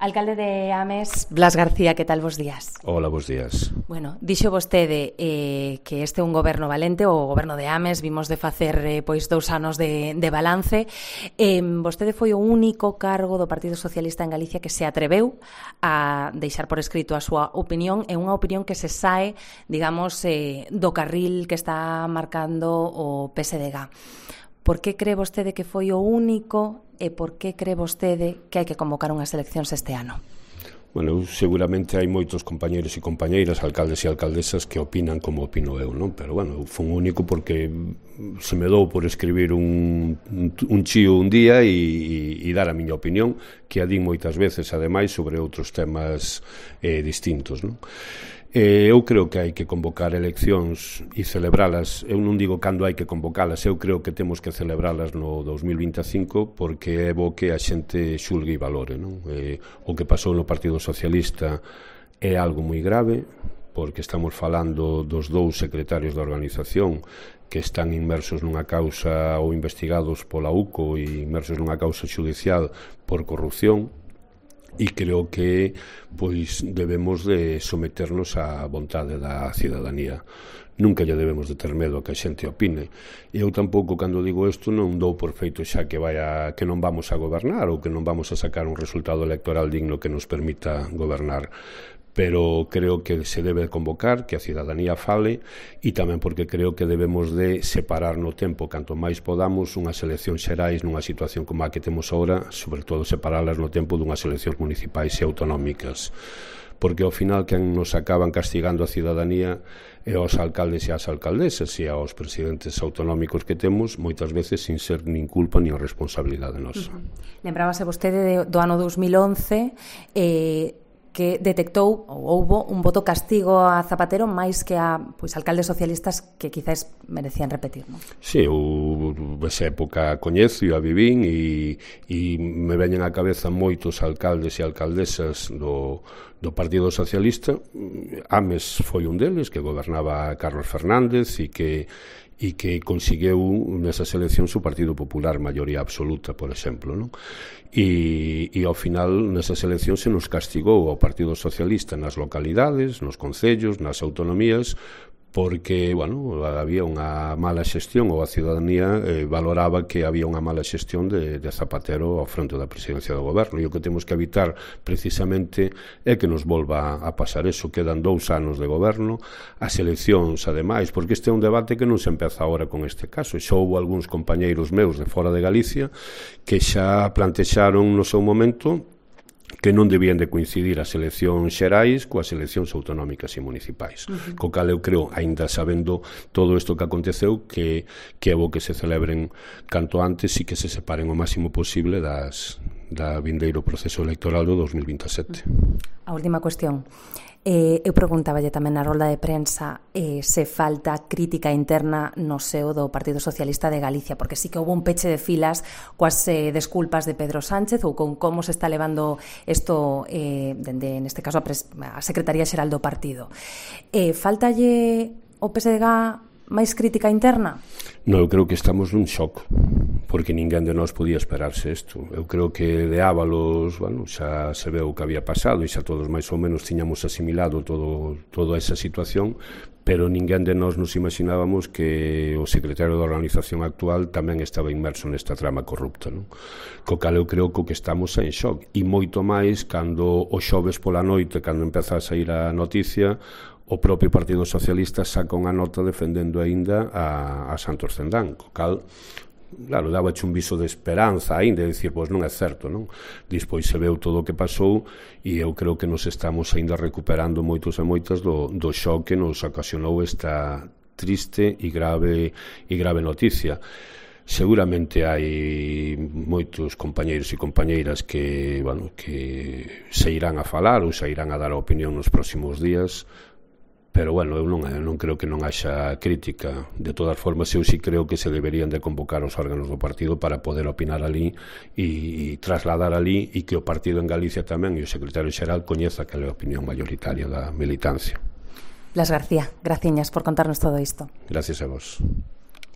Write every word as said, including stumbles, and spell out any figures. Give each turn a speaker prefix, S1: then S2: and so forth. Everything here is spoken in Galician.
S1: Alcalde de Ames, Blas García, que tal vos días?
S2: Hola, bos días.
S1: Bueno, dixo vostede eh, que este é un goberno valente, o goberno de Ames, vimos de facer eh, pois dous anos de, de balance. Eh, vostede foi o único cargo do Partido Socialista en Galicia que se atreveu a deixar por escrito a súa opinión, e unha opinión que se sae, digamos, eh, do carril que está marcando o P S D G. Por que cree vostede que foi o único e por que cree vostede que hai que convocar unhas eleccións este ano?
S2: Bueno, seguramente hai moitos compañeiros e compañeiras, alcaldes e alcaldesas que opinan como opino eu, non? Pero, bueno, foi un único porque se me dou por escribir un, un chío un día e, e dar a miña opinión, que a din moitas veces, ademais, sobre outros temas eh, distintos, non? Eh, eu creo que hai que convocar eleccións e celebralas. Eu non digo cando hai que convocalas, eu creo que temos que celebralas no dos mil vinte e cinco, porque é bo que a xente xulgue e valore, non? Eh, o que pasou no Partido Socialista é algo moi grave, porque estamos falando dos dous secretarios da organización que están inmersos nunha causa ou investigados pola U C O e inmersos nunha causa xudicial por corrupción. E creo que pois debemos de someternos á vontade da cidadanía. Nunca lle debemos de ter medo a que a xente opine. E eu tampouco, cando digo isto, non dou por feito xa que vaya que non vamos a gobernar ou que non vamos a sacar un resultado electoral digno que nos permita gobernar. Pero creo que se debe convocar, que a cidadanía fale, e tamén porque creo que debemos de separar no tempo, canto máis podamos, unhas eleccións xerais nunha situación como a que temos agora, sobre todo separalas no tempo dunhas eleccións municipais e autonómicas, porque ao final quen nos acaban castigando a cidadanía é aos alcaldes e as alcaldesas e aos presidentes autonómicos que temos, moitas veces sin ser nin culpa nin responsabilidade nosa.
S1: Uh-huh. Lembrábase vostede de, do ano dos mil once, eh, que detectou ou houbo un voto castigo a Zapatero máis que a pois alcaldes socialistas que quizás merecían repetir, non?
S2: Sí, eu esa época coñezo e a vivín e, e me veñen á cabeza moitos alcaldes e alcaldesas do, do Partido Socialista. Ames foi un deles, que gobernaba Carlos Fernández e que e que conseguiu nesas eleccións o Partido Popular maioría absoluta, por exemplo, non? E, e ao final nesas eleccións se nos castigou ao Partido Socialista nas localidades, nos concellos, nas autonomías, porque, bueno, había unha mala xestión ou a cidadanía eh, valoraba que había unha mala xestión de, de Zapatero ao fronte da presidencia do goberno, e o que temos que evitar precisamente é que nos volva a pasar eso. Quedan dous anos de goberno, as eleccións ademais, porque este é un debate que non se empeza agora con este caso. Xa houve algúns compañeiros meus de fora de Galicia que xa plantexaron no seu momento que non debían de coincidir as eleccións xerais coas eleccións autonómicas e municipais. Uh-huh. Co cal eu creo, aínda sabendo todo isto que aconteceu, que, que é bo que se celebren canto antes e que se separen o máximo posible das, da vindeiro proceso electoral do dos mil vinte e sete.
S1: A última cuestión. Eh, eu preguntáballe tamén na rolda de prensa eh, se falta crítica interna no seo do Partido Socialista de Galicia, porque sí que houve un peche de filas coas eh, desculpas de Pedro Sánchez ou con como se está levando isto eh, dende, neste caso, a, pres- a Secretaría Xeral do Partido. Eh, faltalle o P S D G máis crítica interna?
S2: Non, eu creo que estamos nun shock, porque ninguén de nós podía esperarse isto. Eu creo que de Ábalos, bueno, xa se veu o que había pasado e xa todos máis ou menos tiñamos asimilado todo, toda esa situación, pero ninguén de nós nos imaginábamos que o secretario da organización actual tamén estaba inmerso nesta trama corrupta, non? Co cal eu creo que o que estamos é en shock, e moito máis cando o xoves pola noite, cando empeza a sair a noticia, o propio Partido Socialista saca unha nota defendendo aínda a, a Santos Cendán, co cal, claro, dábache un viso de esperanza aínda, de dicir, pois non é certo, non? Despois se veu todo o que pasou e eu creo que nos estamos aínda recuperando moitos e moitas do, do shock que nos ocasionou esta triste e grave e grave noticia. Seguramente hai moitos compañeiros e compañeiras que, bueno, que se irán a falar ou se irán a dar a opinión nos próximos días, pero, bueno, eu non, eu non creo que non haxa crítica. De todas formas, eu sí creo que se deberían de convocar os órganos do partido para poder opinar ali e, e trasladar ali, e que o partido en Galicia tamén e o secretario xeral coñeza que é a opinión mayoritaria da militancia.
S1: Blas García, graciñas por contarnos todo isto.
S2: Gracias a vos.